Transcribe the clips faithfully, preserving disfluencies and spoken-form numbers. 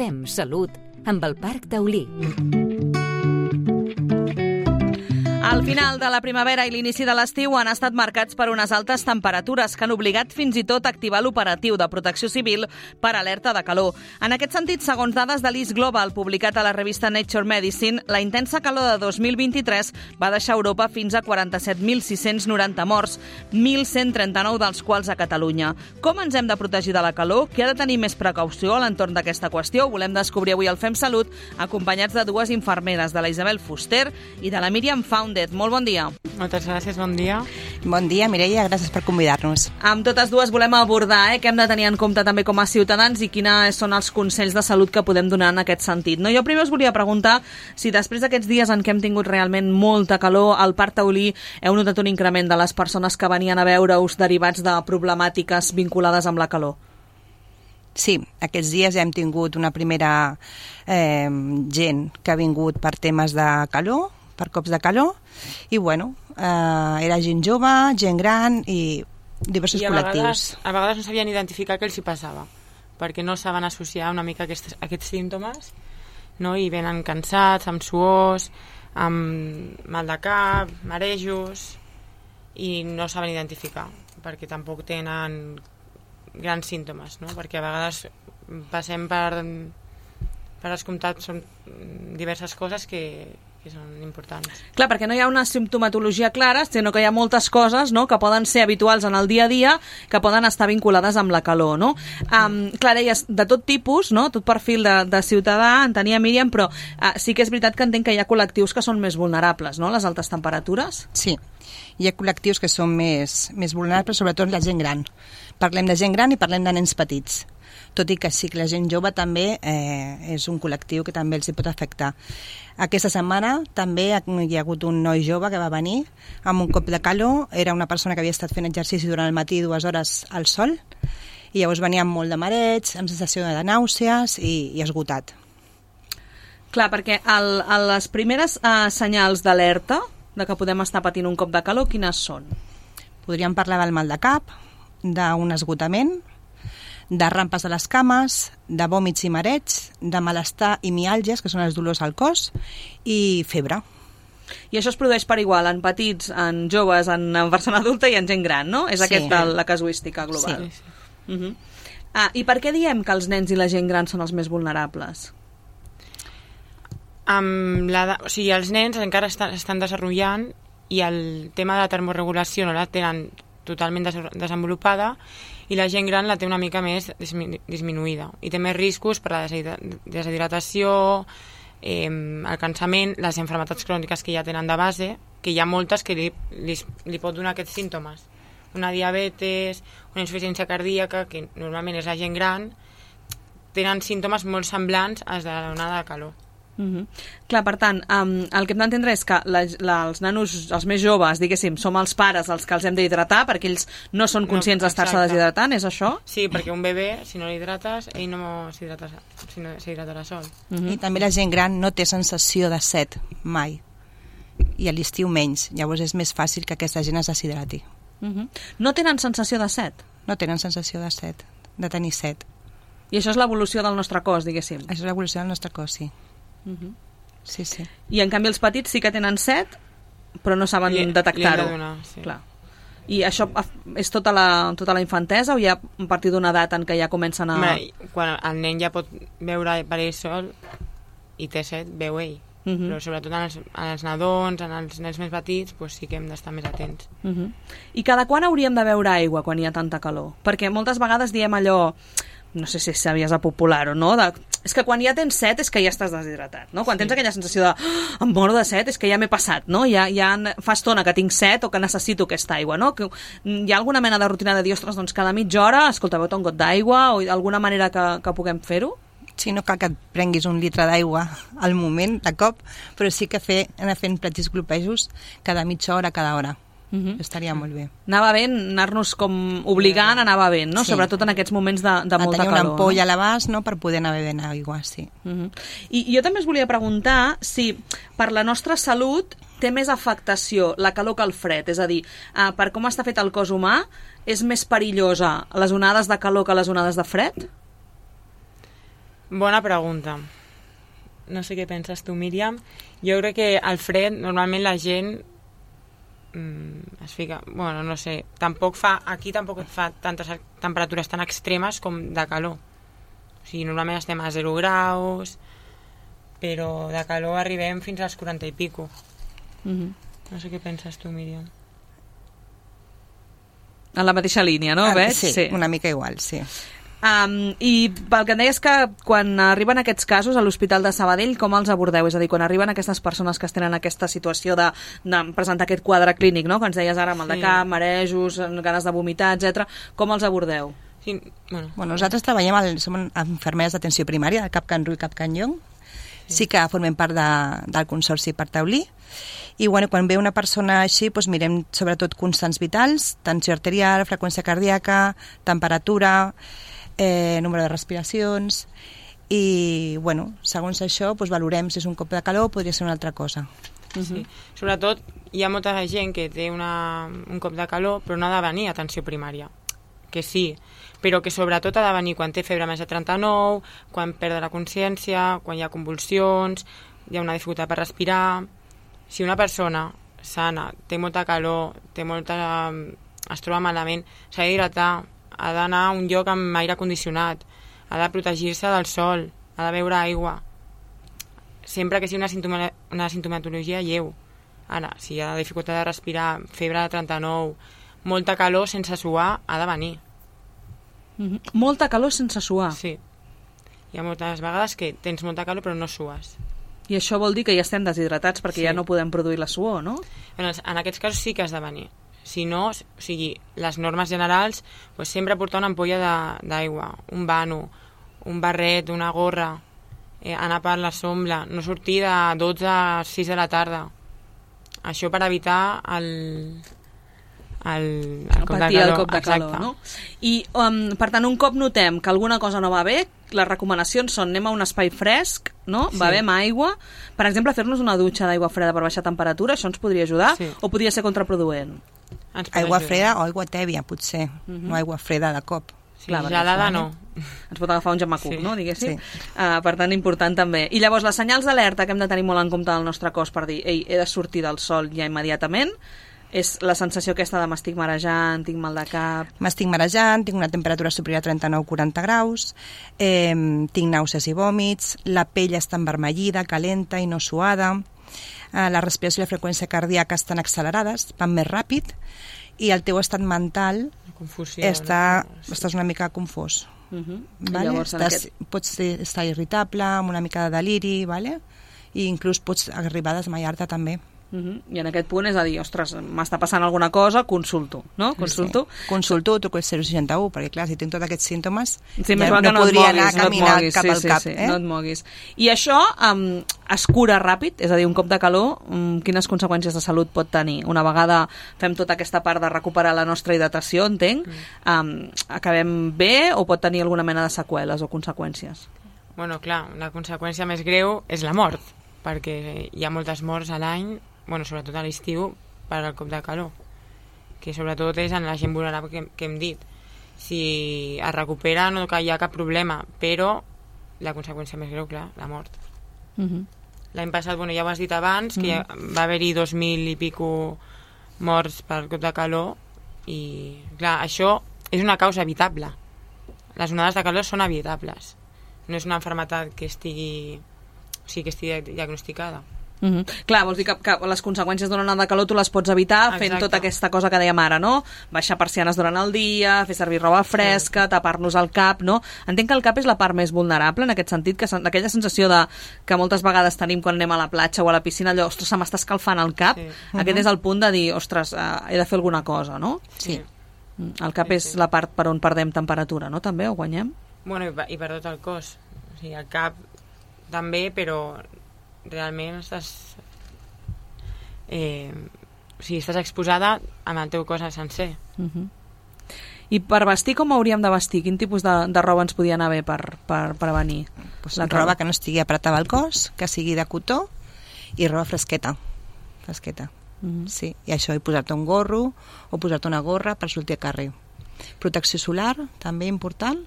Fem Salut amb el Parc Taulí. El final de la primavera i l'inici de l'estiu han estat marcats per unes altes temperatures que han obligat fins i tot a activar l'operatiu de protecció civil per alerta de calor. En aquest sentit, segons dades de l'I S Global publicat a la revista Nature Medicine, la intensa calor de dos mil vint-i-tres va deixar Europa fins a quaranta-set mil sis-cents noranta morts, mil cent trenta-nou dels quals a Catalunya. Com ens hem de protegir de la calor? Qui ha de tenir més precaució a l'entorn d'aquesta qüestió? Ho volem descobrir avui al Fem Salut, acompanyats de dues infermeres, de la Isabel Fuster i de la Míriam Foundet. Molt bon dia. Moltes gràcies, bon dia. Bon dia, Mireia, gràcies per convidar-nos. Amb totes dues volem abordar eh, què hem de tenir en compte també com a ciutadans i quins són els consells de salut que podem donar en aquest sentit. No, jo primer us volia preguntar si després d'aquests dies en què hem tingut realment molta calor, al Parc Taulí heu notat un increment de les persones que venien a veure-us derivats de problemàtiques vinculades amb la calor. Sí, aquests dies hem tingut una primera eh, gent que ha vingut per temes de calor, per cops de calor, i bueno, eh, era gent jove, gent gran i diversos I a col·lectius. Vegades, a vegades no sabien identificar què els hi passava, perquè no saben associar una mica aquests, aquests símptomes, no? I venen cansats, amb suors, amb mal de cap, marejos, i no saben identificar, perquè tampoc tenen grans símptomes, no? Perquè a vegades passem per, per descomptat, són diverses coses que que són importants. Clar, perquè no hi ha una simptomatologia clara, sinó que hi ha moltes coses, no?, que poden ser habituals en el dia a dia, que poden estar vinculades amb la calor, no? Um, clar, deies, de tot tipus, no?, tot perfil de, de ciutadà, en tenia Míriam, però uh, sí que és veritat que entenc que hi ha col·lectius que són més vulnerables, no?, les altes temperatures. Sí, hi ha col·lectius que són més, més vulnerables, sobretot la gent gran. Parlem de gent gran i parlem de nens petits. Tot i que sí que la gent jove també eh, és un col·lectiu que també els hi pot afectar. Aquesta setmana també hi ha hagut un noi jove que va venir amb un cop de calor, era una persona que havia estat fent exercici durant el matí dues hores al sol, i llavors venia amb molt de mareig, amb sensació de nàusees i, i esgotat. Clar, perquè el, el, les primeres eh, senyals d'alerta de que podem estar patint un cop de calor, quines són? Podríem parlar del mal de cap, d'un esgotament, de rampes a les cames, de vòmits i mareig, de malestar i miàlgies, que són els dolors al cos, i febre. I això es produeix per igual en petits, en joves, en, en persona adulta i en gent gran, no? És sí. Aquesta la casuística global. Sí. Uh -huh. ah, I per què diem que els nens i la gent gran són els més vulnerables? Amb la, o sigui, els nens encara estan, estan desenvolupant i el tema de la termorregulació no la tenen totalment des, desenvolupada, i la gent gran la té una mica més disminuïda i té més riscos per la deshidratació, eh, el cansament, les malalties cròniques que ja tenen de base, que hi ha moltes que li, li, li pot donar aquests símptomes. Una diabetes, una insuficiència cardíaca, que normalment és la gent gran, tenen símptomes molt semblants als de l'onada de calor. Uh -huh. Clar, per tant, um, el que hem d'entendre és que la, la, els nanos, els més joves, diguéssim, som els pares els que els hem d'hidratar, perquè ells no són conscients no, d'estar-se deshidratant, és això? Sí, perquè un bebè, si no l'hidrates, ell no s'hidratarà si no s'hidratarà sol. Uh -huh. I també la gent gran no té sensació de set, mai. I a l'estiu menys, llavors és més fàcil que aquesta gent es deshidrati. Uh -huh. No tenen sensació de set? No tenen sensació de set, de tenir set. I això és l'evolució del nostre cos, diguéssim? Això és l'evolució del nostre cos, sí. Uh -huh. Sí, sí. I en canvi els petits sí que tenen set, però no saben li, detectar-ho. Li de donar, sí. Clar. I això és tota la, tota la infantesa o hi ha a partir d'una edat en què ja comencen a... Home, quan el nen ja pot veure per ell sol i té set, veu ell. Uh -huh. Però sobretot en els, en els nadons, en els nens més petits, pues sí que hem d'estar més atents. Uh -huh. I cada quan hauríem de beure aigua quan hi ha tanta calor? Perquè moltes vegades diem allò... no sé si sabies a popular o no, de, és que quan ja tens set és que ja estàs deshidratat, no? Quan sí. tens aquella sensació de oh, em moro de set és que ja m'he passat, no? Ja, ja fa estona que tinc set o que necessito aquesta aigua, no? Que hi ha alguna mena de rutina de dir, ostres, doncs cada mitja hora, escolta, beu un got d'aigua o alguna manera que, que puguem fer-ho? Sí, no cal que et prenguis un litre d'aigua al moment, de cop, però sí que fer, anar fent petits glopejos cada mitja hora, cada hora. Uh-huh. Estaria molt bé. Anava bé anar-nos com obligant, anava bé, no? Sí. Sobretot en aquests moments de, de molta calor. A tenir una ampolla no? a l'abast, no?, per poder anar bevent aigua, sí. Uh-huh. I jo també us volia preguntar si per la nostra salut té més afectació la calor que el fred, és a dir, uh, per com està fet el cos humà, és més perillosa les onades de calor que les onades de fred? Bona pregunta. No sé què penses tu, Míriam. Jo crec que al fred, normalment la gent mm, es fica... Bueno, no sé, tampoc fa... Aquí tampoc fa tantes temperatures tan extremes com de calor. O sigui, normalment estem a zero graus, però de calor arribem fins als quaranta i pico. Mm-hmm. No sé què penses tu, Míriam. En la mateixa línia, no? Ah, Veig? sí, sí, una mica igual, sí. Um, I pel que em deies que quan arriben aquests casos a l'Hospital de Sabadell, com els abordeu? És a dir, quan arriben aquestes persones que es tenen aquesta situació de, de presentar aquest quadre clínic, no? Que ens deies ara, mal de cap, marejos, ganes de vomitar, etcètera. Com els abordeu? Sí, bueno. Bueno, nosaltres treballem, al, som infermeres d'atenció primària del Cap Can Ru i Cap Can Llong. Sí que formem part de, del Consorci per Taulí. I bueno, quan ve una persona així, doncs mirem sobretot constants vitals, tensió arterial, freqüència cardíaca, temperatura, eh, número de respiracions, i bueno, segons això doncs valorem si és un cop de calor o podria ser una altra cosa. Uh-huh. Sí. Sobretot hi ha molta gent que té una, un cop de calor però no ha de venir a atenció primària, que sí, però que sobretot ha de venir quan té febre més de trenta-nou, quan perd la consciència, quan hi ha convulsions, hi ha una dificultat per respirar. Si una persona sana té molta calor, té molta, es troba malament, s'ha d'hidratar, ha d'anar a un lloc amb aire condicionat, ha de protegir-se del sol, ha de beure aigua, sempre que sigui una, simptoma, una simptomatologia lleu. Ara, si hi ha dificultat de respirar, febre de trenta-nou, molta calor sense suar, ha de venir. Mm-hmm. Molta calor sense suar? Sí. Hi ha moltes vegades que tens molta calor però no sues. I això vol dir que ja estem deshidratats perquè sí. Ja no podem produir la suor, no? Bueno, en aquests casos sí que has de venir. Si no, o sigui, les normes generals, pues sempre portar una ampolla d'aigua, un vano, un barret, una gorra, eh, anar per la sombra, no sortir de dotze a sis de la tarda. Això per evitar el, el, el cop de calor. El cop de calor, no? I, um, per tant, un cop notem que alguna cosa no va bé, les recomanacions són anem a un espai fresc, no? Sí. Bevem aigua. Per exemple, fer-nos una dutxa d'aigua freda per baixar temperatura, això ens podria ajudar? Sí. O podria ser contraproduent? Aigua ajudar. Freda o aigua tèbia, potser. Uh-huh. No aigua freda de cop. Sí, clar, gelada no. Ens pot agafar un gemacuc, sí. No? Diguéssim. Sí. Uh, per tant, important també. I llavors, les senyals d'alerta que hem de tenir molt en compte del nostre cos per dir, ei, he de sortir del sol ja immediatament, és la sensació aquesta de m'estic marejant, tinc mal de cap... M'estic marejant, tinc una temperatura superior a trenta-nou a quaranta graus, eh, tinc nàusees i vòmits, la pell està envermellida, calenta i no suada, eh, la respiració i la freqüència cardíaca estan accelerades, van més ràpid, i el teu estat mental confusió, està, no? estàs una mica confós. Uh-huh. Vale? Llavors, estàs, aquest... Pots estar irritable, amb una mica de deliri, vale? I inclús pots arribar a desmaiar-te també. Uh-huh. I en aquest punt és a dir, ostres, m'està passant alguna cosa, consulto, no? Consulto. Sí. Consulto, truco el zero seixanta u, perquè clar, si tinc tots aquests símptomes, sí, ja no, no podria moguis, anar a caminar no cap sí, al sí, cap. Sí, eh? no et moguis. I això um, es cura ràpid? És a dir, un cop de calor, um, quines conseqüències de salut pot tenir? Una vegada fem tota aquesta part de recuperar la nostra hidratació, entenc, um, acabem bé o pot tenir alguna mena de seqüeles o conseqüències? Bueno, clar, la conseqüència més greu és la mort, perquè hi ha moltes morts a l'any, bueno, sobretot a l'estiu, per al cop de calor, que sobretot és en la gent vulnerable que, que hem dit. Si es recupera no hi ha cap problema, però la conseqüència més greu, clar, la mort. Uh-huh. L'any passat, bueno, ja ho has dit abans, que uh-huh. va haver-hi dos mil i pico morts per cop de calor, i clar, això és una causa evitable. Les onades de calor són evitables. No és una malaltia que estigui, o sigui, que estigui diagnosticada. Uh-huh. Clar, vols dir que, que les conseqüències d'una onada de calor tu les pots evitar fent Exacte. Tota aquesta cosa que dèiem ara, no? Baixar persianes durant el dia, fer servir roba fresca, sí. Tapar-nos el cap, no? Entenc que el cap és la part més vulnerable en aquest sentit, que aquella sensació de que moltes vegades tenim quan anem a la platja o a la piscina, allò, ostres, se m'està escalfant el cap, sí. uh-huh. Aquest és el punt de dir, ostres, uh, he de fer alguna cosa, no? Sí. El cap sí, és sí. La part per on perdem temperatura, no? També, o guanyem? Bueno, i per tot el cos. O sigui, el cap també, però realment estàs eh, o sigui, estàs exposada amb el teu cos sencer. Uh-huh. I per vestir com hauríem de vestir? Quin tipus de, de roba ens podia anar bé per, per prevenir? Pues la roba que no estigui apretada al cos, que sigui de cotó, i roba fresqueta fresqueta uh-huh. Sí, i això, i posar-te un gorro o posar-te una gorra per sortir a carrer. Protecció solar, també important,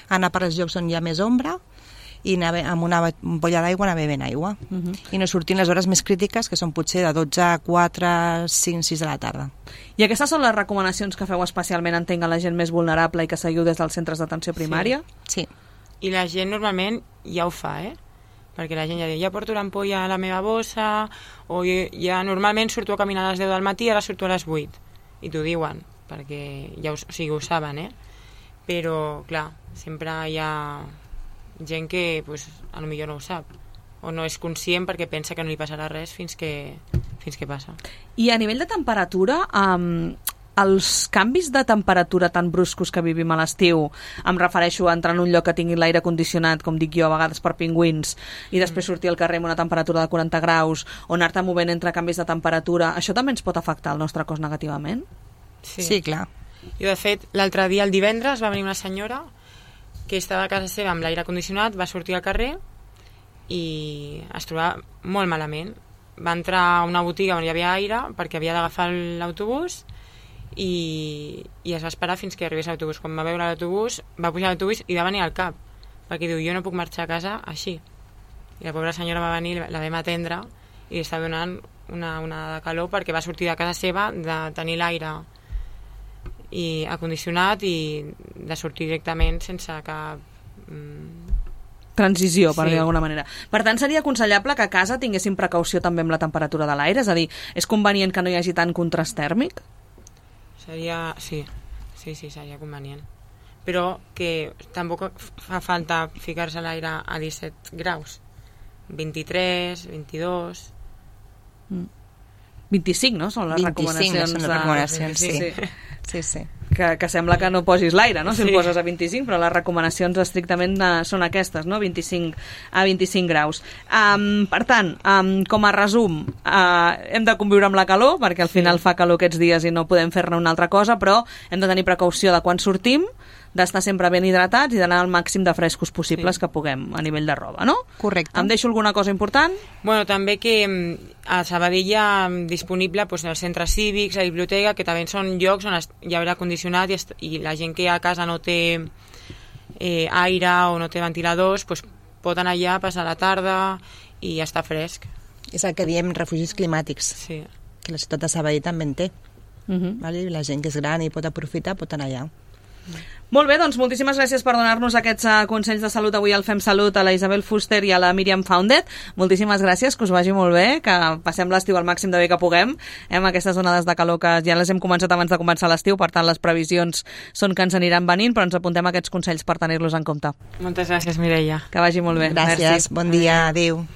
anar per als llocs on hi ha més ombra, i anar amb una ampolla d'aigua anar bevent aigua. Uh -huh. I no sortint les hores més crítiques, que són potser de dotze a quatre, cinc, sis de la tarda. I aquestes són les recomanacions que feu especialment, entenc, a la gent més vulnerable i que seguiu des dels centres d'atenció primària? Sí. sí. I la gent normalment ja ho fa, eh? Perquè la gent ja diu, ja porto l'ampolla a la meva bossa, o ja normalment surto a caminar a les deu del matí, ara surto a les vuit. I t'ho diuen, perquè ja ho, o sigui, ho saben, eh? Però, clar, sempre hi ha gent que pues, a lo millor no ho sap, o no és conscient perquè pensa que no li passarà res fins que, fins que passa. I a nivell de temperatura, um, els canvis de temperatura tan bruscos que vivim a l'estiu, em refereixo a entrar en un lloc que tingui l'aire condicionat, com dic jo, a vegades per pingüins, i després sortir al carrer amb una temperatura de quaranta graus, o anar-te movent entre canvis de temperatura, això també ens pot afectar el nostre cos negativament? Sí, sí clar. Jo, de fet, l'altre dia, el divendres, va venir una senyora que estava a casa seva amb l'aire condicionat, va sortir al carrer i es trobava molt malament. Va entrar a una botiga on hi havia aire perquè havia d'agafar l'autobús i, i es va esperar fins que arribés l'autobús. Quan va veure l'autobús, va pujar l'autobús i va venir al cap, perquè diu, jo no puc marxar a casa així. I la pobra senyora va venir, la vam atendre i li estava donant una onada de calor perquè va sortir de casa seva de tenir l'aire i acondicionat i de sortir directament sense cap mm, transició, per sí. dir d'alguna manera. Per tant, seria aconsellable que a casa tinguéssim precaució també amb la temperatura de l'aire? És a dir, és convenient que no hi hagi tant contrast tèrmic? Seria... sí, sí, sí, seria convenient. Però que tampoc fa falta ficar-se a l'aire a disset graus. vint-i-tres, vint-i-dos... Mm. vint-i-cinc, no? Són les vint-i-cinc, recomanacions. Són les recomanacions, de... sí. sí. sí. sí, sí. Que, que sembla que no posis l'aire, no? Si sí. el poses a vint-i-cinc, però les recomanacions estrictament uh, són aquestes, no? vint-i-cinc a vint-i-cinc graus. Um, per tant, um, com a resum, uh, hem de conviure amb la calor, perquè al final sí. fa calor aquests dies i no podem fer-ne una altra cosa, però hem de tenir precaució de quan sortim, d'estar sempre ben hidratats i d'anar al màxim de frescos possibles sí. que puguem a nivell de roba, no? Correcte. Em deixo alguna cosa important? Bueno, també que a Sabadell hi ha disponible pues, els centres cívics, la biblioteca, que també són llocs on hi ha aire condicionat i, i la gent que a casa no té eh, aire o no té ventiladors pues, pot anar allà, passar la tarda i estar fresc. És el que diem refugis climàtics, sí. que la ciutat de Sabadell també en té. Uh -huh. vale? La gent que és gran i pot aprofitar pot anar allà. Molt bé, doncs moltíssimes gràcies per donar-nos aquests uh, consells de salut avui al Fem Salut, a la Isabel Fuster i a la Míriam Foundet. Moltíssimes gràcies, que us vagi molt bé, que passem l'estiu al màxim de bé que puguem, eh, amb aquestes onades de calor que ja les hem començat abans de començar l'estiu, per tant les previsions són que ens aniran venint, però ens apuntem aquests consells per tenir-los en compte. Moltes gràcies, Mireia. Que vagi molt bé. Gràcies, Merci. bon dia, adéu.